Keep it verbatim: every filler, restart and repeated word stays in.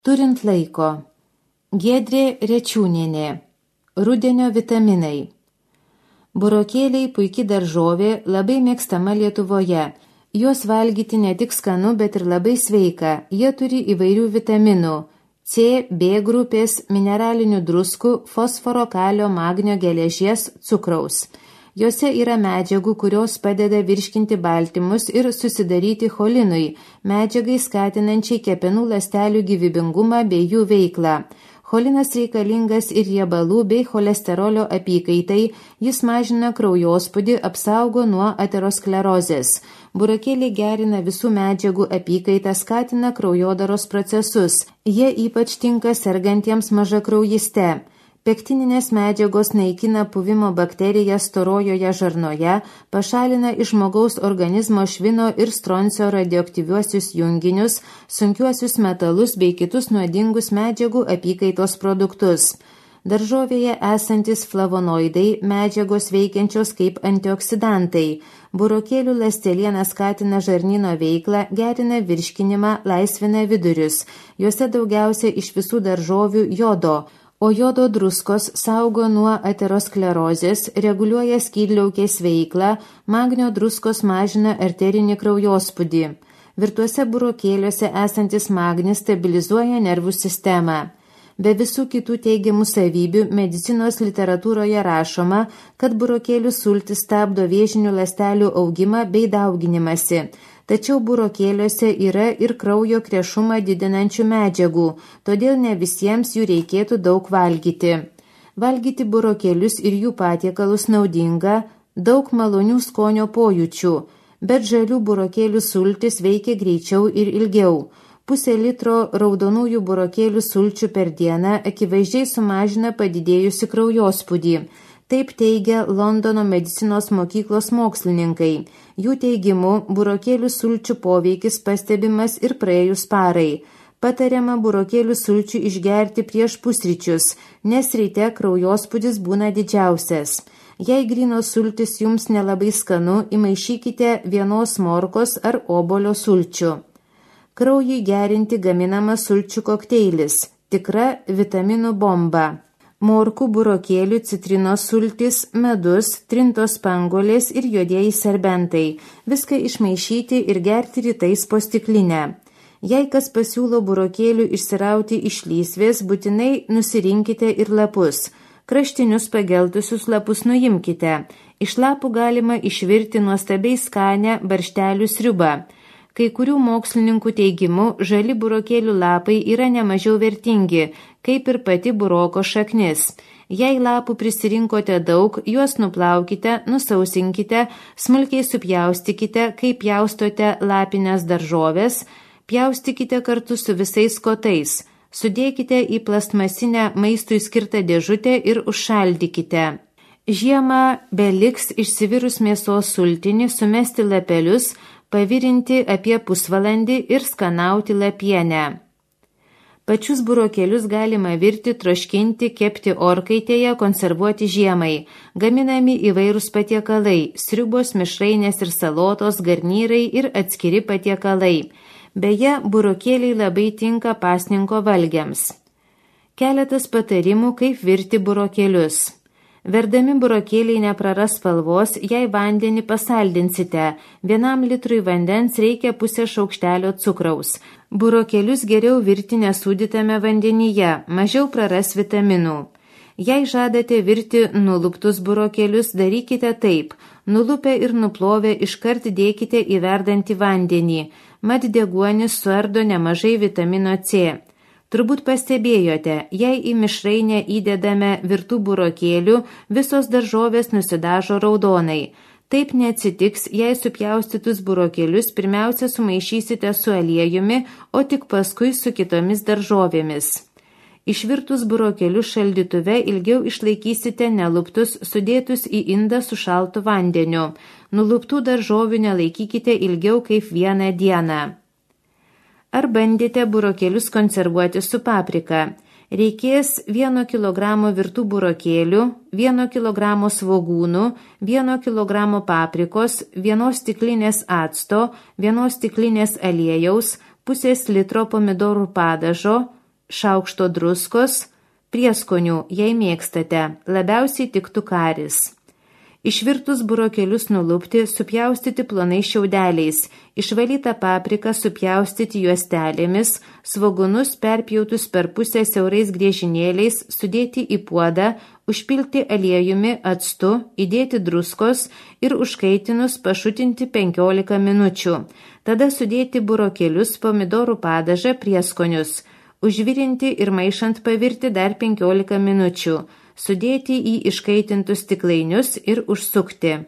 Turint laiko. Giedrė Rečiūnienė. Rudenio vitaminai. Burokėliai puiki daržovė, labai mėgstama Lietuvoje. Juos valgyti ne tik skanu, bet ir labai sveika. Jie turi įvairių vitaminų – C, B grupės, mineralinių druskų, fosforo, kalio, magnio, geležies, cukraus. Jose yra medžiagų, kurios padeda virškinti baltymus ir susidaryti cholinui, medžiagai skatinančiai kepenų ląstelių gyvybingumą bei jų veiklą. Cholinas reikalingas ir riebalų bei cholesterolio apykaitai, jis mažina kraujospūdį, apsaugo nuo aterosklerozės. Burokėliai gerina visų medžiagų apykaitą, skatina kraujodaros procesus. Jie ypač tinka sergantiems mažakraujyste. Pektininės medžiagos naikina puvimo bakteriją storojoje žarnoje, pašalina iš žmogaus organizmo švino ir stroncio radioaktyviuosius junginius, sunkiuosius metalus bei kitus nuodingus medžiagų apykaitos produktus. Daržovėje esantis flavonoidai, medžiagos veikiančios kaip antioksidantai. Burokėlių ląsteliena skatina žarnyno veiklą, gerina virškinimą, laisvina vidurius. Juose daugiausia iš visų daržovių jodo. O jodo druskos saugo nuo aterosklerozės, reguliuoja skydliaukės veiklą, magnio druskos mažina arterinį kraujospūdį. Virtuose burokėliuose esantis magnis stabilizuoja nervų sistemą. Be visų kitų teigiamų savybių, medicinos literatūroje rašoma, kad burokėlių sultis stabdo vėžinių ląstelių augimą bei dauginimąsi. Tačiau burokėliuose yra ir kraujo krešumą didinančių medžiagų, todėl ne visiems jų reikėtų daug valgyti. Valgyti burokėlius ir jų patiekalus naudinga, daug malonių skonio pojūčių, bet žalių burokėlių sultis veikia greičiau ir ilgiau. Pusė litro raudonųjų burokėlių sulčių per dieną akivaizdžiai sumažina padidėjusi kraujospūdį. Taip teigia Londono medicinos mokyklos mokslininkai. Jų teigimu, burokėlių sulčių poveikis pastebimas ir praėjus parai. Patariama burokėlių sulčių išgerti prieš pusryčius, nes ryte kraujospūdis būna didžiausias. Jei grynos sultis jums nelabai skanu, įmaišykite vienos morkos ar obolio sulčių. Kraujui gerinti gaminamas sulčių kokteilis, tikra vitaminų bomba. Morkų, burokėlių, citrinos sultis, medus, trintos spanguolės ir juodieji serbentai. Viską išmaišyti ir gerti rytais po stiklinę. Jei kas pasiūlo burokėlių išsirauti iš lysvės, būtinai nusirinkite ir lapus. Kraštinius pageltusius lapus nuimkite. Iš lapų galima išvirti nuostabiai skanę barštelių sriubą. Kai kurių mokslininkų teigimu, žali burokėlių lapai yra nemažiau vertingi, kaip ir pati buroko šaknis. Jei lapų prisirinkote daug, juos nuplaukite, nusausinkite, smulkiai supjaustykite, kaip pjaustote lapinės daržovės, pjaustykite kartu su visais kotais, sudėkite į plastmasinę maistui skirtą dėžutę ir užšaldykite. Žiemą beliks išsivirus mėsos sultinį, sumesti lapelius, pavirinti apie pusvalandį ir skanauti lapienę. Pačius burokėlius galima virti, troškinti, kepti orkaitėje, konservuoti žiemai. Gaminami įvairūs patiekalai, sriubos, mišrainės ir salotos, garnyrai ir atskiri patiekalai. Beje, burokėliai labai tinka pasninko valgiams. Keletas patarimų, kaip virti burokėlius. Verdami burokėliai nepraras spalvos, jei vandenį pasaldinsite. Vienam litrui vandens reikia pusę šaukštelio cukraus. Burokėlius geriau virti nesūdytame vandenyje, mažiau praras vitaminų. Jei žadate virti nuluptus burokėlius, darykite taip. Nulupę ir nuplovę iškart dėkite į verdantį vandenį. Mat deguonis suardo nemažai vitamino C. Turbūt pastebėjote, jei į mišrainę įdedame virtų burokėlių, visos daržovės nusidažo raudonai. Taip neatsitiks, jei supjaustytus burokėlius pirmiausia sumaišysite su aliejumi, o tik paskui su kitomis daržovėmis. Išvirtus burokėlius šaldytuve ilgiau išlaikysite neluptus, sudėtus į indą su šaltu vandeniu. Nuluptų daržovių nelaikykite ilgiau kaip vieną dieną. Ar bandėte burokėlius konservuoti su paprika? Reikės vieno kilogramo virtų burokėlių, vieno kilogramo svogūnų, vieno kilogramo paprikos, vienos stiklinės acto, vienos stiklinės aliejaus, pusės litro pomidorų padažo, šaukšto druskos, prieskonių, jei mėgstate, labiausiai tiktų karis. Išvirtus burokėlius nulupti, supjaustyti plonais šiaudeliais, išvalytą papriką supjaustyti juostelėmis, svogūnus perpjautus per pusę siaurais griežinėliais, sudėti į puodą, užpilti aliejumi, actu, įdėti druskos ir užkaitinus pašutinti penkiolika minučių. Tada sudėti burokėlius, pomidorų padažą, prieskonius, užvirinti ir maišant pavirti dar penkiolika minučių. Sudėti į iškaitintus stiklainius ir užsukti.